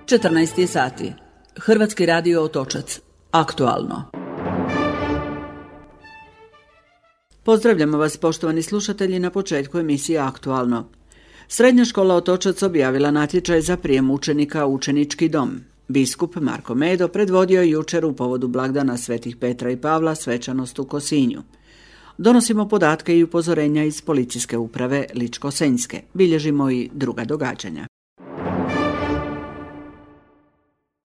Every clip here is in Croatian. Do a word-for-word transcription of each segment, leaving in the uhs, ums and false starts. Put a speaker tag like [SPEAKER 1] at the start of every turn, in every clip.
[SPEAKER 1] četrnaest je sati. Hrvatski radio Otočac. Aktualno. Pozdravljamo vas, poštovani slušatelji, na početku emisije Aktualno. Srednja škola Otočac objavila natječaj za prijem učenika u učenički dom. Biskup Marko Medo predvodio je jučer u povodu blagdana Svetih Petra i Pavla svečanost u Kosinju. Donosimo podatke i upozorenja iz policijske uprave Ličko-senjske. Bilježimo i druga događanja.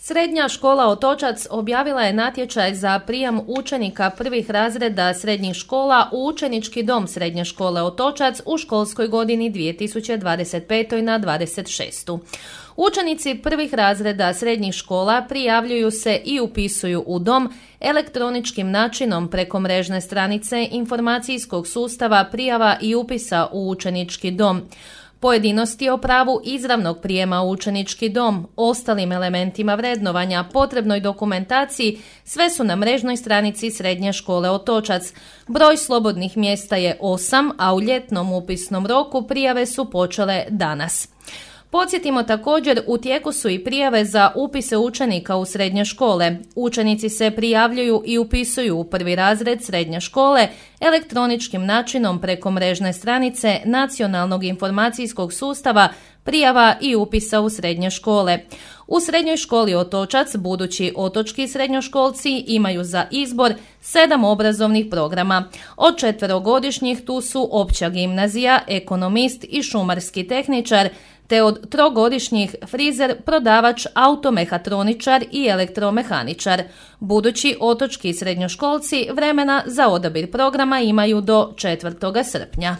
[SPEAKER 2] Srednja škola Otočac objavila je natječaj za prijem učenika prvih razreda srednjih škola u učenički dom Srednje škole Otočac u školskoj godini dvije tisuće dvadeset pete na dvadeset šeste. Učenici prvih razreda srednjih škola prijavljuju se i upisuju u dom elektroničkim načinom preko mrežne stranice informacijskog sustava prijava i upisa u učenički dom. Pojedinosti o pravu izravnog prijema u učenički dom, ostalim elementima vrednovanja, potrebnoj dokumentaciji, sve su na mrežnoj stranici Srednje škole Otočac. Broj slobodnih mjesta je osam, a u ljetnom upisnom roku prijave su počele danas. Podsjetimo također, u tijeku su i prijave za upise učenika u srednje škole. Učenici se prijavljuju i upisuju u prvi razred srednje škole elektroničkim načinom preko mrežne stranice Nacionalnog informacijskog sustava prijava i upisa u srednje škole. U Srednjoj školi Otočac budući otočki srednjoškolci imaju za izbor sedam obrazovnih programa. Od četverogodišnjih tu su opća gimnazija, ekonomist i šumarski tehničar, te od trogodišnjih frizer, prodavač, automehatroničar i elektromehaničar. Budući otočki srednjoškolci vremena za odabir programa imaju do četvrtog srpnja.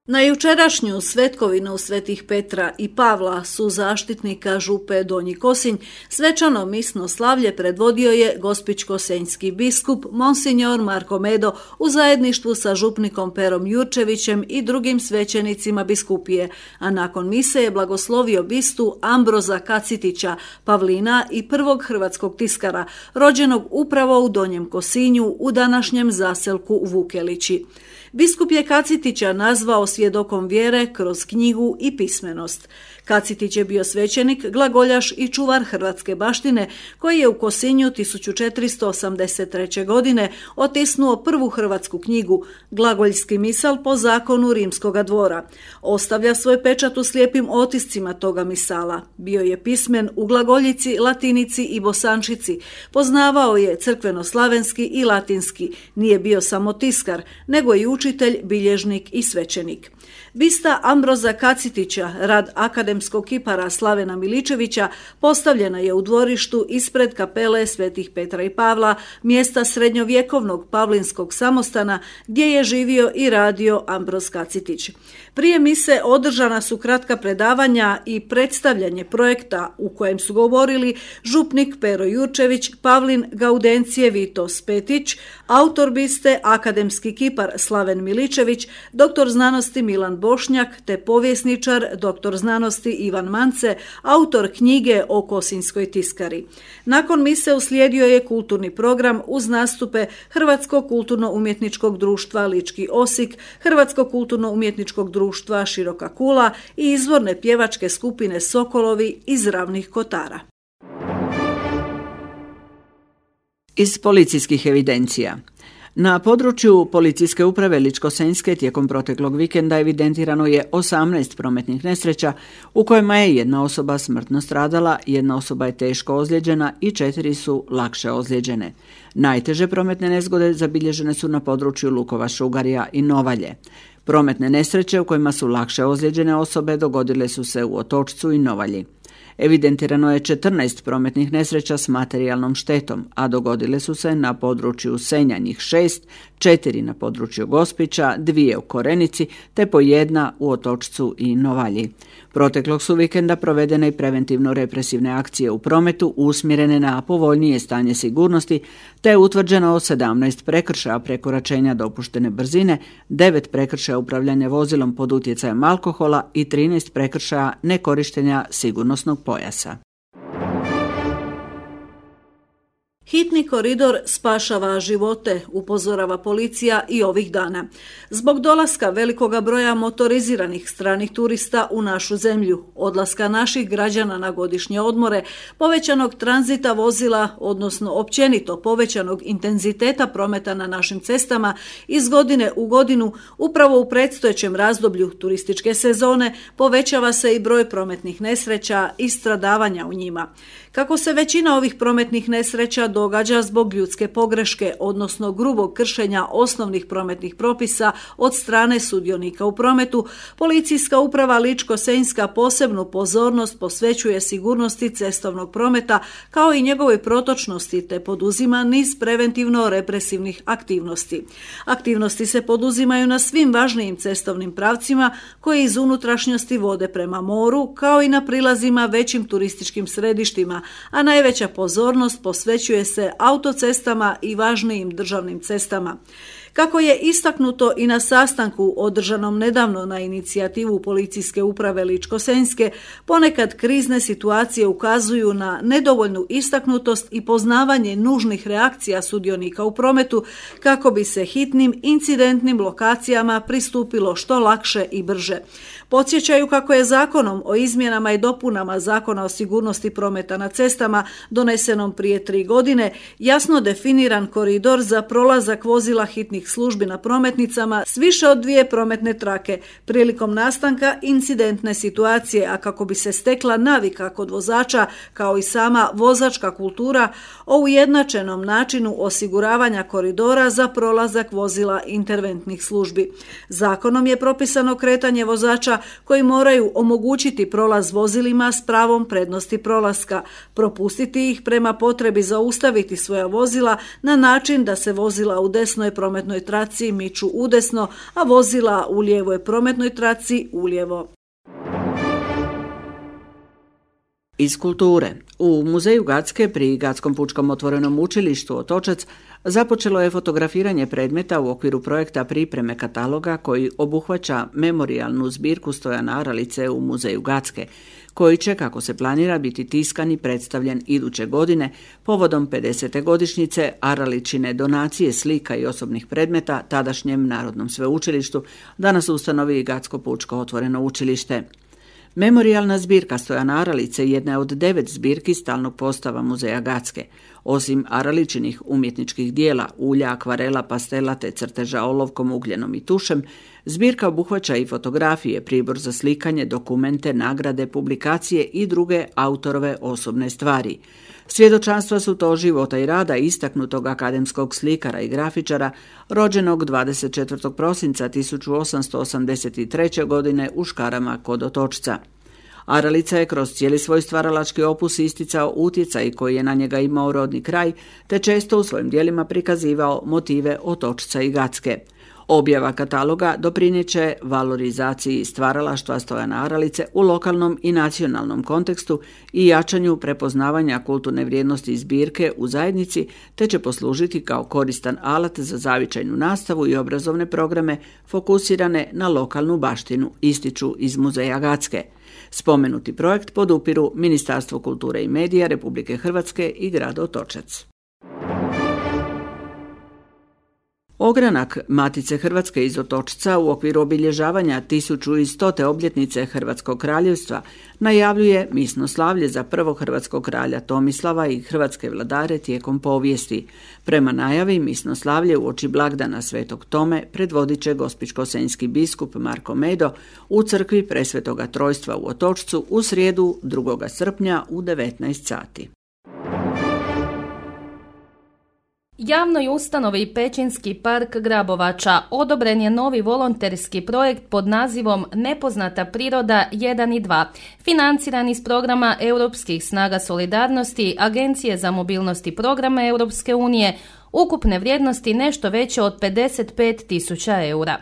[SPEAKER 3] Na jučerašnju svetkovinu Svetih Petra i Pavla su zaštitnika župe Donji Kosinj svečano misno slavlje predvodio je gospićko-senjski biskup Monsignor Marko Medo u zajedništvu sa župnikom Perom Jurčevićem i drugim svećenicima biskupije, a nakon mise je blagoslovio bistu Ambroza Kacitića, Pavlina i prvog hrvatskog tiskara, rođenog upravo u Donjem Kosinju u današnjem zaselku Vukelići. Biskup je Kacitića nazvao svjedokom vjere kroz knjigu i pismenost. Kacitić je bio svećenik, glagoljaš i čuvar hrvatske baštine koji je u Kosinju tisuću četiristo osamdeset treće. godine otisnuo prvu hrvatsku knjigu, Glagoljski misal po zakonu Rimskoga dvora. Ostavlja svoj pečat u slijepim otiscima toga misala. Bio je pismen u glagoljici, latinici i bosančici. Poznavao je crkveno-slavenski i latinski. Nije bio samo tiskar, nego i učitelj, bilježnik i svećenik. Bista Ambroza Kacitića, rad akademskog kipara Slavena Miličevića, postavljena je u dvorištu ispred kapele Svetih Petra i Pavla, mjesta srednjovjekovnog pavlinskog samostana gdje je živio i radio Ambroz Kacitić. Prije mise održana su kratka predavanja i predstavljanje projekta u kojem su govorili župnik Pero Jurčević, Pavlin Gaudencije Vito Spetić, autor biste akademski kipar Slaven Miličević, doktor znanosti Milan Bošnjak te povjesničar doktor znanosti Ivan Mance, autor knjige o kosinjskoj tiskari. Nakon mise uslijedio je kulturni program uz nastupe Hrvatskog kulturno-umjetničkog društva Lički Osik, Hrvatskog kulturno-umjetničkog društva Široka Kula i izvorne pjevačke skupine Sokolovi iz Ravnih Kotara.
[SPEAKER 1] Iz policijskih evidencija. Na području policijske uprave Ličko-senjske tijekom proteklog vikenda evidentirano je osamnaest prometnih nesreća u kojima je jedna osoba smrtno stradala, jedna osoba je teško ozlijeđena i četiri su lakše ozlijeđene. Najteže prometne nezgode zabilježene su na području Lukova, Šugarija i Novalje. Prometne nesreće u kojima su lakše ozlijeđene osobe dogodile su se u Otočcu i Novalji. Evidentirano je četrnaest prometnih nesreća s materijalnom štetom, a dogodile su se na području Senja njih šest, četiri na području Gospića, dvije u Korenici, te po jedna u Otočcu i Novalji. Proteklog su vikenda provedene i preventivno-represivne akcije u prometu usmjerene na povoljnije stanje sigurnosti, te je utvrđeno sedamnaest prekršaja prekoračenja dopuštene brzine, devet prekršaja upravljanja vozilom pod utjecajem alkohola i trinaest prekršaja nekorištenja sigurnosnog pojasa.
[SPEAKER 3] Hitni koridor spašava živote, upozorava policija i ovih dana. Zbog dolaska velikoga broja motoriziranih stranih turista u našu zemlju, odlaska naših građana na godišnje odmore, povećanog tranzita vozila, odnosno općenito povećanog intenziteta prometa na našim cestama iz godine u godinu, upravo u predstojećem razdoblju turističke sezone povećava se i broj prometnih nesreća i stradavanja u njima. Kako se većina ovih prometnih nesreća događa zbog ljudske pogreške, odnosno grubog kršenja osnovnih prometnih propisa od strane sudionika u prometu, Policijska uprava Ličko-senjska posebnu pozornost posvećuje sigurnosti cestovnog prometa kao i njegovoj protočnosti te poduzima niz preventivno-represivnih aktivnosti. Aktivnosti se poduzimaju na svim važnijim cestovnim pravcima koji iz unutrašnjosti vode prema moru, kao i na prilazima većim turističkim središtima, a najveća pozornost posvećuje se autocestama i važnijim državnim cestama. Kako je istaknuto i na sastanku održanom nedavno na inicijativu Policijske uprave Ličko-senjske, ponekad krizne situacije ukazuju na nedovoljnu istaknutost i poznavanje nužnih reakcija sudionika u prometu kako bi se hitnim incidentnim lokacijama pristupilo što lakše i brže. Podsjećaju kako je Zakonom o izmjenama i dopunama Zakona o sigurnosti prometa na cestama, donesenom prije tri godine, jasno definiran koridor za prolazak vozila hitnih službi na prometnicama s više od dvije prometne trake prilikom nastanka incidentne situacije, a kako bi se stekla navika kod vozača kao i sama vozačka kultura o ujednačenom načinu osiguravanja koridora za prolazak vozila interventnih službi. Zakonom je propisano kretanje vozača koji moraju omogućiti prolaz vozilima s pravom prednosti prolaska, propustiti ih prema potrebi zaustaviti svoja vozila na način da se vozila u desnoj prometnoj traci miču udesno, a vozila u lijevoj prometnoj traci ulijevo.
[SPEAKER 1] Iz kulture. U Muzeju Gacke pri Gatskom pučkom otvorenom učilištu Otočac započelo je fotografiranje predmeta u okviru projekta pripreme kataloga koji obuhvaća memorijalnu zbirku Stojana Aralice u Muzeju Gacke, koji će, kako se planira, biti tiskan i predstavljen iduće godine povodom pedesete godišnjice Araličine donacije slika i osobnih predmeta tadašnjem Narodnom sveučilištu, danas ustanovi Gatsko pučko otvoreno učilište. Memorijalna zbirka Stojana Aralice jedna je od devet zbirki stalnog postava Muzeja Gacke. Osim Araličinih umjetničkih dijela, ulja, akvarela, pastela te crteža olovkom, ugljenom i tušem, zbirka obuhvaća i fotografije, pribor za slikanje, dokumente, nagrade, publikacije i druge autorove osobne stvari. Svjedočanstva su to života i rada istaknutog akademskog slikara i grafičara, rođenog dvadeset četvrtog prosinca tisuću osamsto osamdeset treće. godine u Škarama kod Otočca. Aralica je kroz cijeli svoj stvaralački opus isticao utjecaj koji je na njega imao rodni kraj, te često u svojim dijelima prikazivao motive Otočca i Gacke. Objava kataloga doprinijeće valorizaciji stvaralaštva Stojana Aralice u lokalnom i nacionalnom kontekstu i jačanju prepoznavanja kulturne vrijednosti zbirke u zajednici, te će poslužiti kao koristan alat za zavičajnu nastavu i obrazovne programe fokusirane na lokalnu baštinu, ističu iz Muzeja Gacke. Spomenuti projekt podupiru Ministarstvo kulture i medija Republike Hrvatske i grad Otočac. Ogranak Matice Hrvatske iz Otočca u okviru obilježavanja tisuću stote obljetnice Hrvatskog kraljevstva najavljuje misnoslavlje za prvog hrvatskog kralja Tomislava i hrvatske vladare tijekom povijesti. Prema najavi misnoslavlje uoči blagdana Svetog Tome predvodit će gospićko-senjski biskup Marko Medo u crkvi Presvetoga Trojstva u Otočcu u srijedu drugog srpnja u devetnaest sati.
[SPEAKER 2] Javnoj ustanovi Pećinski park Grabovača odobren je novi volonterski projekt pod nazivom Nepoznata priroda jedan i dva, financiran iz programa Europskih snaga solidarnosti, Agencije za mobilnost i programe Europske unije, ukupne vrijednosti nešto veće od pedeset pet tisuća eura.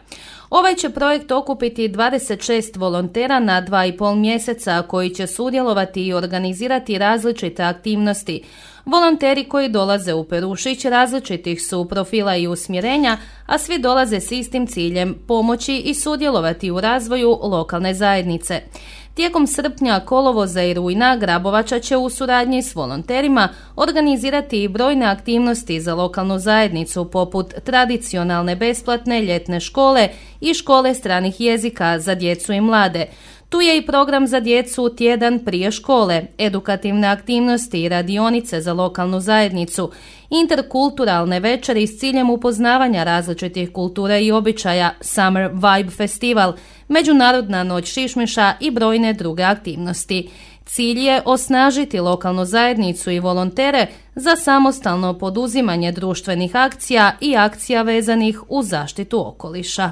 [SPEAKER 2] Ovaj će projekt okupiti dvadeset šest volontera na dva i pol mjeseca koji će sudjelovati i organizirati različite aktivnosti. Volonteri koji dolaze u Perušić različitih su profila i usmjerenja, a svi dolaze s istim ciljem pomoći i sudjelovati u razvoju lokalne zajednice. Tijekom srpnja, kolovoza i rujna Grabovača će u suradnji s volonterima organizirati i brojne aktivnosti za lokalnu zajednicu poput tradicionalne besplatne ljetne škole i škole stranih jezika za djecu i mlade. Tu je i program za djecu tjedan prije škole, edukativne aktivnosti i radionice za lokalnu zajednicu, interkulturalne večeri s ciljem upoznavanja različitih kultura i običaja, Summer Vibe Festival, Međunarodna noć šišmiša i brojne druge aktivnosti. Cilj je osnažiti lokalnu zajednicu i volontere za samostalno poduzimanje društvenih akcija i akcija vezanih uz zaštitu okoliša.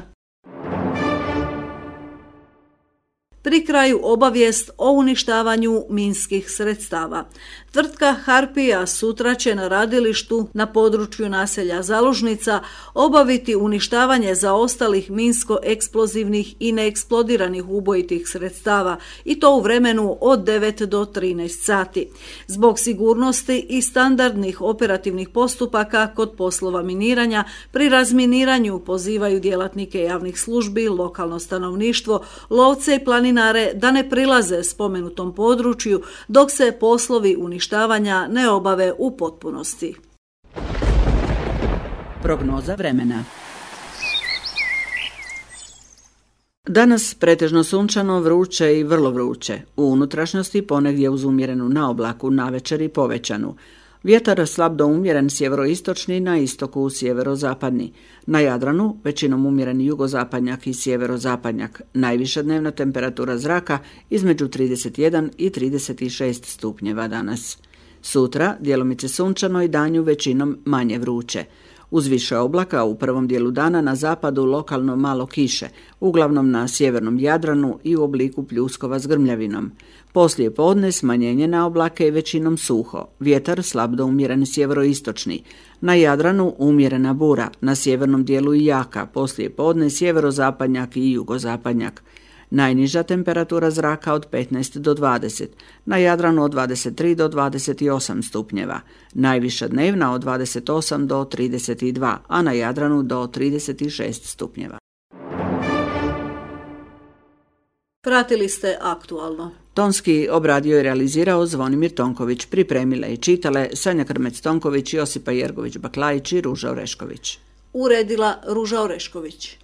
[SPEAKER 3] Pri kraju obavijest o uništavanju minskih sredstava. Tvrtka Harpija sutra će na radilištu na području naselja Zalužnica obaviti uništavanje zaostalih minsko-eksplozivnih i neeksplodiranih ubojitih sredstava i to u vremenu od devet do trinaest sati. Zbog sigurnosti i standardnih operativnih postupaka kod poslova miniranja, pri razminiranju pozivaju djelatnike javnih službi, lokalno stanovništvo, lovce i planinare da ne prilaze spomenutom području dok se poslovi uništavanja ne obave u potpunosti.
[SPEAKER 1] Prognoza vremena. Danas pretežno sunčano, vruće i vrlo vruće. U unutrašnjosti ponegdje uz umjerenu naoblaku, navečer i povećanu. Vjetar slab do umjeren sjeveroistočni, na istoku sjeverozapadni. Na Jadranu većinom umjereni jugozapadnjak i sjeverozapadnjak. Najviša dnevna temperatura zraka između trideset jedan i trideset šest stupnjeva danas. Sutra djelomice sunčano i danju većinom manje vruće. Uz više oblaka u prvom dijelu dana na zapadu lokalno malo kiše, uglavnom na sjevernom Jadranu i u obliku pljuskova s grmljavinom. Poslije podne smanjenje na oblake i većinom suho, vjetar slab do umjeren sjeveroistočni. Na Jadranu umjerena bura, na sjevernom dijelu i jaka, poslije podne sjeverozapadnjak i jugozapadnjak. Najniža temperatura zraka od petnaest do dvadeset, na Jadranu od dvadeset tri do dvadeset osam stupnjeva, najviša dnevna od dvadeset osam do trideset dva, a na Jadranu do trideset šest stupnjeva.
[SPEAKER 3] Pratili ste Aktualno.
[SPEAKER 1] Tonski obradio i realizirao Zvonimir Tonković, pripremile i čitale Sanja Krmec-Tonković, Josipa Jergović-Baklajić i Ruža Orešković.
[SPEAKER 3] Uredila Ruža Orešković.